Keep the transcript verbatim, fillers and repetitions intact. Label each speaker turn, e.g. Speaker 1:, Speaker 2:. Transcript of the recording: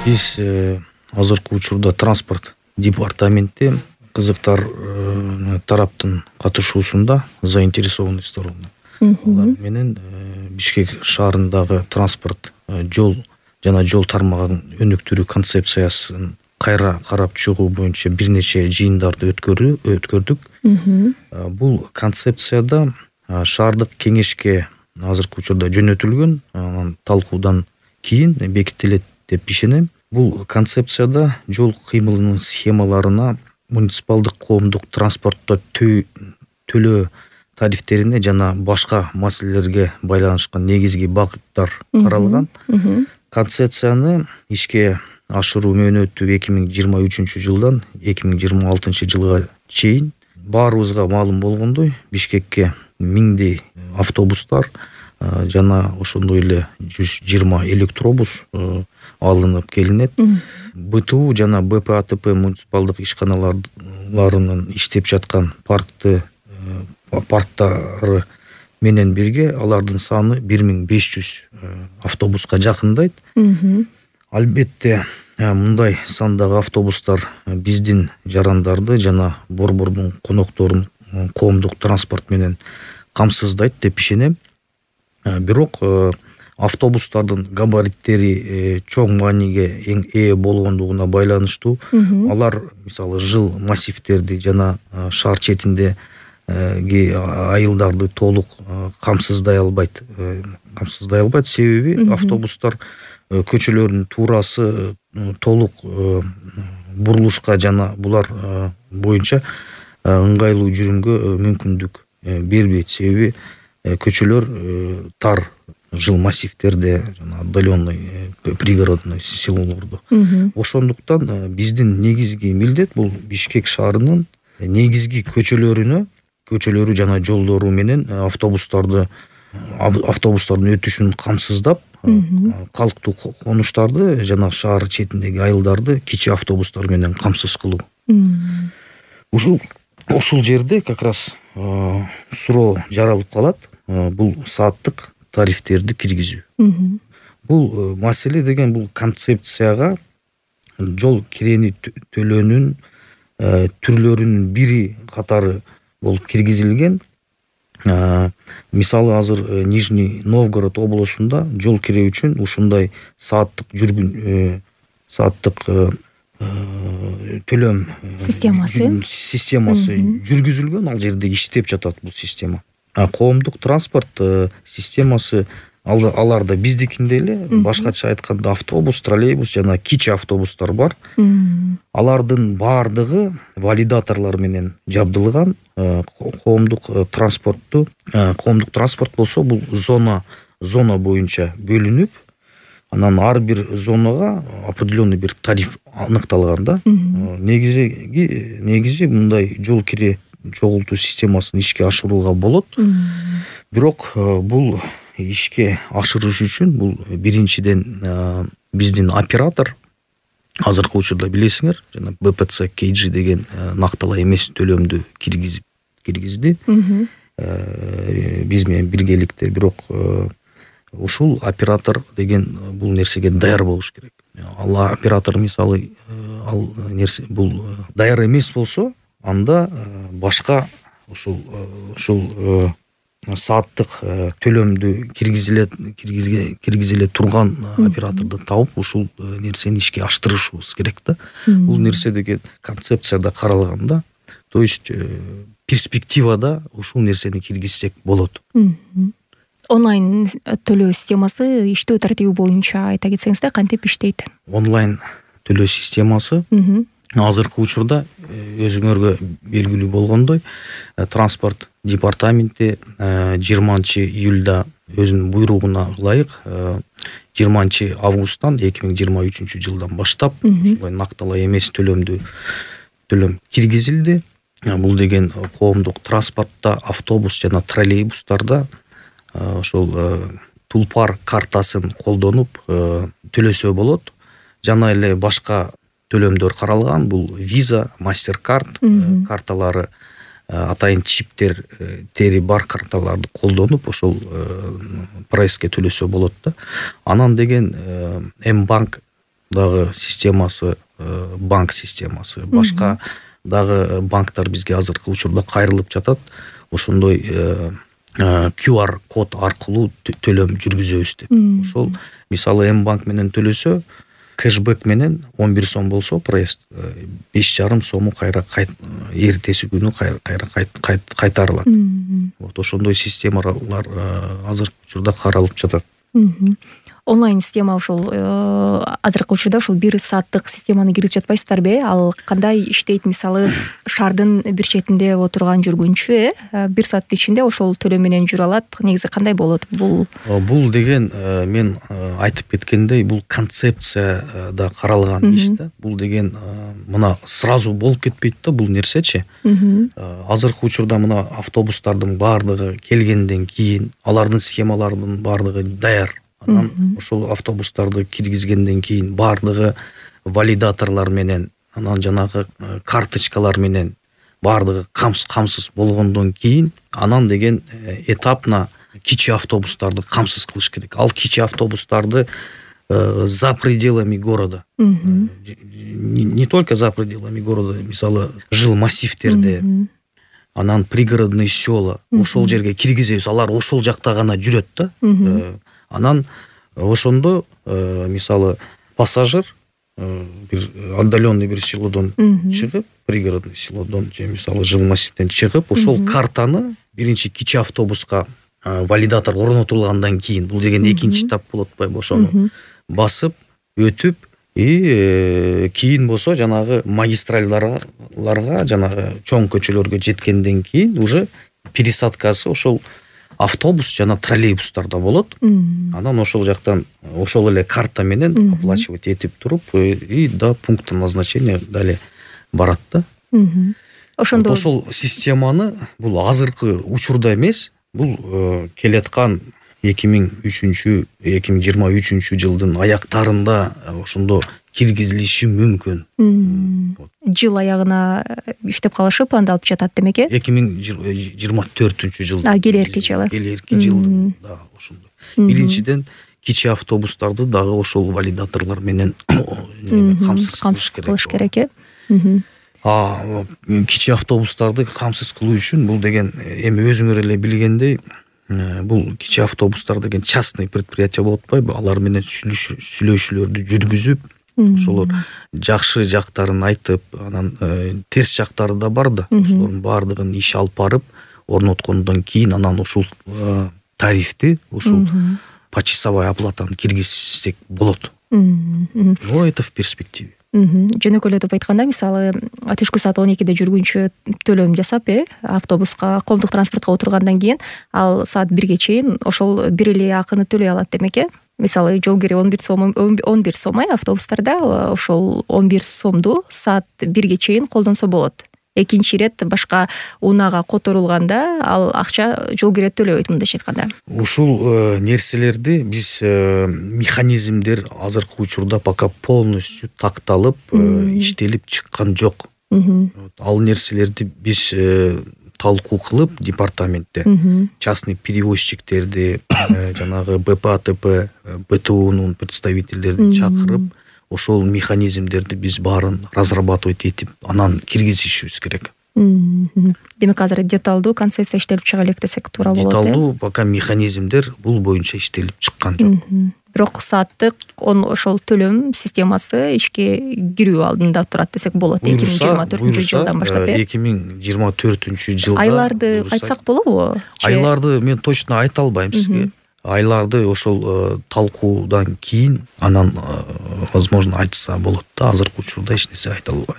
Speaker 1: Биз азыркы учурда транспорт департаменти кызыктар тараптын катышуусунда заинтересованный сторона. Алар менен Бишкек шаарындагы транспорт жол жана жол тармагын өнүктүрүү концепциясын кайра карап чыгуу боюнча бир нече жыйындарды өткөрдүк. Бул концепцияда шаардык кеңешке азыркы учурда жөнөтүлгөн, анан талкуудан кийин бекитилет деп ишенем. Бул концепцияда жол кыймылынын схемаларына, муниципалдык коомдук транспортто төлөө тарифтерине жана башка маселелерге байланышкан негизги багыттар каралган. Концепцияны ишке ашыруу мөөнөтү эки миң жыйырма үчүнчү жылдан эки миң жыйырма алтынчы жылга чейин. Баарыбызга маалым болгондой, Бишкекке миңдей автобустар жана ошондой эле жүз жыйырма электробус алынып келинет. БТУ жана БПАТП муниципалдык ишканаларынын иштеп жаткан паркты парктары менен бирге алардын саны бир миң беш жүз автобуска жакындайт. Албетте, мындай сандагы автобустар биздин жарандарды жана борбордун конокторун коомдук транспорт менен камсыздайт деп ишенем. Бирок автобустардын габариттери чоң мааниге ээ болгондугуна байланыштуу, алар мисалы жыл массивтерди жана шаар четиндеги айылдарды толук камсыздай албайт. Камсыздай албайт себеби автобустар көчөлөрдүн туурасы толук бурулушка жана булар боюнча ыңгайлуу жүрүүгө мүмкүндүк бербейт. Себеби көчөлөр тар жыл массивтерде жана отдаленный пригородный селолордо. Ошондуктан биздин негизги милдет бул Бишкек шаарынын негизги көчөлөрүнө, көчөлөрү жана жолдору менен автобустарды автобустардын өтүшүн камсыздап, калктуу конуштарды жана шаар четиндеги айылдарды кичи автобустар менен камсыз кылуу. Ушул ушул жерде как раз суроо жаралып калат. Бул сааттык тарифтерди киргизүү. Бул маселе деген бул концепцияга жол кирени төлөөнүн түрлөрүнүн бири катары болуп киргизилген. Мисалы азыр Нижний Новгород облусунда жол кире үчүн ушундай сааттык жүргүн сааттык төлөм системасы системасы жүргүзүлгөн. Ал жерде иштеп жатат бул система. Коомдук транспорт системасы аларда биздикиндей эле, башкача айтканда автобус, троллейбус жана кичи автобустар бар. Алардын баардыгы валидаторлор менен жабдылган. Коомдук транспортту, коомдук транспорт болсо бул зона зона боюнча бөлүнүп, анан ар бир зонага определенный бир тариф аныкталган да. Негизи негизи мындай жол кире чогултуу системасын ишке ашырууга болот. Бирок бул ишке ашырыш үчүн бул биринчиден биздин оператор азыркы учурда билесиңер, жана БПЦ КЖ деген накталай эмес төлөмдү киргизип киргизди. Биз менен биргеликте, бирок ушул оператор деген бул нерсеге даяр болуш керек. Ал оператор мисалы ал нерсе бул даяр эмес болсо, анда башка ушул ушул сааттык төлөмдү киргизиле киргизге киргизиле турган операторду тауып ушул нерсени ишке аштырышыбыз керек да. Бул нерсе деген концепцияда каралган да. То есть перспективада ушул нерсени киргизсек болот.
Speaker 2: Онлайн төлөө системасы иштөө тартиби боюнча айта кетсеңиз да, кантип иштейт?
Speaker 1: Онлайн төлөө системасы азыркы учурда өзүңөргө белгилүү болгондой, транспорт департаменти жыйырманчы июлда өзүнүн буйругуна ылайык жыйырманчы августтан эки миң жыйырма үчүнчү жылдан баштап ушулай накталай эмес төлөмдү төлөм киргизилди. Бул деген коомдук транспортто автобус жана троллейбустарда ошол тулпар картасын колдонуп төлөсө болот. Жана эле башка төлөмдөр каралган. Бул виза, мастер-карт карталары, атайын чиптер тери бар карталарды колдонуп ошол прайске төлөсө болот да. Анан деген М-банк дагы системасы, банк системасы, башка дагы банктар бизге азыркы учурда кайрылып жатат. Ошондой кью ар код аркылуу төлөм жүргүзөбүз деп. Ошол мисалы М банк менен төлөсө, кэшбэк менен он бир сом болсо, проезд беш жарым сому кайра эртеси күнү кайра кайтарылат. Вот ошондой системалар азыркы учурда каралып жатат.
Speaker 2: Онлайн система ошол азыркы учурда ошол бир сааттык системаны киргизип жатпайсыздарбы? Ал кандай иштейт? Мисалы, шаардын бир четинде отурган жүргүнчү э бир сааттын ичинде ошол төлөм менен жүрө алат. Негизи кандай болот бул?
Speaker 1: Бул деген мен айтып кеткендей, бул концепцияда каралган иш да. Бул деген мына сразу болуп кетпейт да бул нерсечи. Азыркы учурда мына автобустардын баардыгы келгенден кийин, алардын схемаларынын баардыгы даяр. Анан ошол автобустарды киргизгенден кийин баардыгы валидаторлор менен, анан жанагы карточкалар менен баардыгы камсыз болгондон кийин, анан деген этапна кичи автобустарды камсыз кылыш керек. Ал кичи автобустарды за пределами города, не только за пределами города, мисалы жыл массивтерде, анан пригородный села, ошол жерге киргизебиз. Алар ошол жакта гана жүрөт да. Анан ошондо мисалы пассажир бир отдаленный бир селодон чыгып, пригородный селодон же мисалы жыл массивден чыгып, ошол картаны биринчи кичи автобуска валидатор орнотулгандан кийин, бул деген экинчи этап болот атпайбы, ошону басып өтүп, и кийин болсо жанагы магистральдарга, жанагы чоң көчөлөргө жеткенден кийин уже пересадкасы ошол автобус жана троллейбустарда болот. Анан ошол жактан ошол эле карта менен оплачивать этип туруп, и до пункта назначения дале барат да. Ошондо ошол системаны бул азыркы учурда эмес, бул келаткан эки миң үчүнчү эки миң жыйырма үчүнчү жылдын аяктарында ошондо киргизилиши мүмкүн.
Speaker 2: Жыл аягына иштеп калышы пландалып жатат демек э?
Speaker 1: эки миң жыйырма төртүнчү жылда.
Speaker 2: А, келерки жылы.
Speaker 1: Келерки жылда да ошондой. Биринчиден кичи автобустарды дагы ошол валидаторлор менен камсыз
Speaker 2: кылыш керек э?
Speaker 1: А кичи автобустарды камсыз кылуу үчүн бул деген эми өзүңөр эле билгендей, бул кичи автобустар деген частный предприятие болуп атпайбы? Алар менен сүйлөшүүлөрдү жүргүзүп, ошолор жакшы жактарын айтып, анан терс жактары да бар да. Ошолордун баардыгын иш алып барып, орноткондон кийин анан ушул тарифти, ушул почасовая оплатаны киргизсек болот. Но это в перспективе.
Speaker 2: Жөнөкөйлөтүп айтканда, мисалы, түшкү саат он экиде жүргүнчү төлөм жасап, э, автобуска, коомдук транспортко отургандан кийин, ал саат бирге чейин ошол бир эле акыны төлөй алат демек э? Мисалы, жол кири он бир сом, он бир сом автобустарда, ошол он бир сомду саат бирге чейин колдонсо болот. Экинчи ирет башка унаага которулганда ал акча жол кире төлөбөйт, мындайча айтканда.
Speaker 1: Ушул нерселерди биз механизмдер азыркы учурда пока полностью такталып, иштелип чыккан жок. Ал нерселерди биз талкуу кылып департаментте частный перевозчиктерди, жанагы Б П А Т П, Б Т Унун представительдерин чакырып, ошол механизмдерди биз баарын разрабатывать этип, анан киргизишибиз керек.
Speaker 2: Демек азыр деталдуу концепция иштелип чыга элек десек туура болот.
Speaker 1: Деталдуу пока механизмдер бул боюнча иштелип чыккан жок.
Speaker 2: Бирок сааттык ошол төлөм системасы ишке кирүү алдында турат десек болот. эки миң жыйырма төртүнчү жылдан баштап.
Speaker 1: эки миң жыйырма төртүнчү жылда.
Speaker 2: Айларды айтсак болобу?
Speaker 1: Айларды мен точно айта албайм сизге. Айларды ошол талкуудан кийин анан возможно айтса болот да. Азыркы учурда эч нерсе айта албайм.